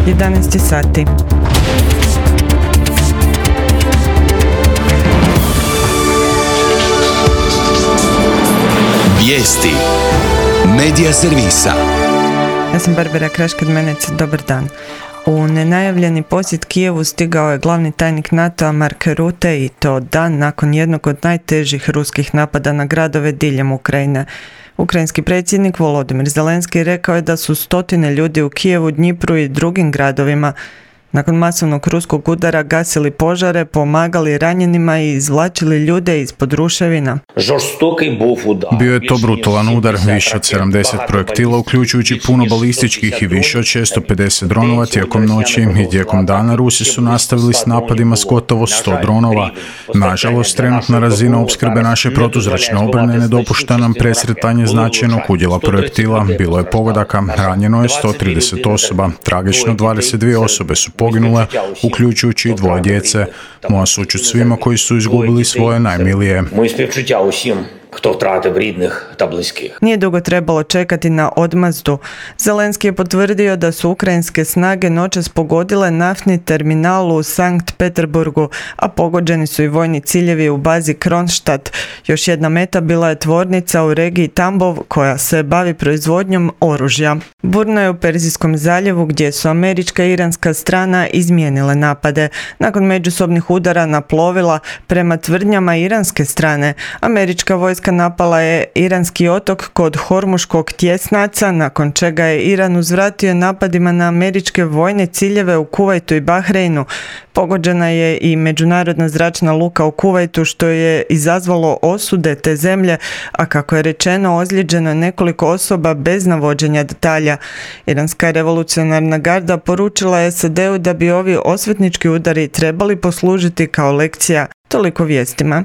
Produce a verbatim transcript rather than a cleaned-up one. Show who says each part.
Speaker 1: jedanaest sati.
Speaker 2: Vijesti Medija servisa.
Speaker 1: Ja sam Barbara Kraškad-Menec, dobar dan. U nenajavljeni posjet Kijevu stigao je glavni tajnik NATO-a Mark Rutte i to dan nakon jednog od najtežih ruskih napada na gradove diljem Ukrajine. Ukrajinski predsjednik Volodymyr Zelenski rekao je da su stotine ljudi u Kijevu, Dnjipru i drugim gradovima nakon masovnog ruskog udara gasili požare, pomagali ranjenima i izvlačili ljude ispod ruševina.
Speaker 3: Bio je to brutalan udar, više od sedamdeset projektila, uključujući puno balističkih i više od šesto pedeset dronova tijekom noći i tijekom dana Rusi su nastavili s napadima s gotovo sto dronova. Nažalost, trenutna razina opskrbe naše protuzračne obrane ne dopušta nam presretanje značajnog udjela projektila. Bilo je pogodaka, ranjeno je sto trideset osoba, tragično dvadeset dvije osobe su poginule, uključujući i dvoje djece. Moja sućut svima koji su izgubili svoje najmilije.
Speaker 1: Nije dugo trebalo čekati na odmazdu. Zelenski je potvrdio da su ukrajinske snage noćas pogodile naftni terminal u Sankt Peterburgu, a pogođeni su i vojni ciljevi u bazi Kronstadt. Još jedna meta bila je tvornica u regiji Tambov koja se bavi proizvodnjom oružja. Burno je u Perzijskom zaljevu gdje su američka i iranska strana izmijenile napade. Nakon međusobnih udara na plovila prema tvrdnjama iranske strane, američka vojska napala je iranski otok kod Hormuškog tjesnaca, nakon čega je Iran uzvratio napadima na američke vojne ciljeve u Kuvajtu i Bahreinu. Pogođena je i međunarodna zračna luka u Kuvajtu, što je izazvalo osude te zemlje, a kako je rečeno, ozlijeđeno je nekoliko osoba bez navođenja detalja. Iranska revolucionarna garda poručila je S A D-u da bi ovi osvetnički udari trebali poslužiti kao lekcija. Toliko vijestima.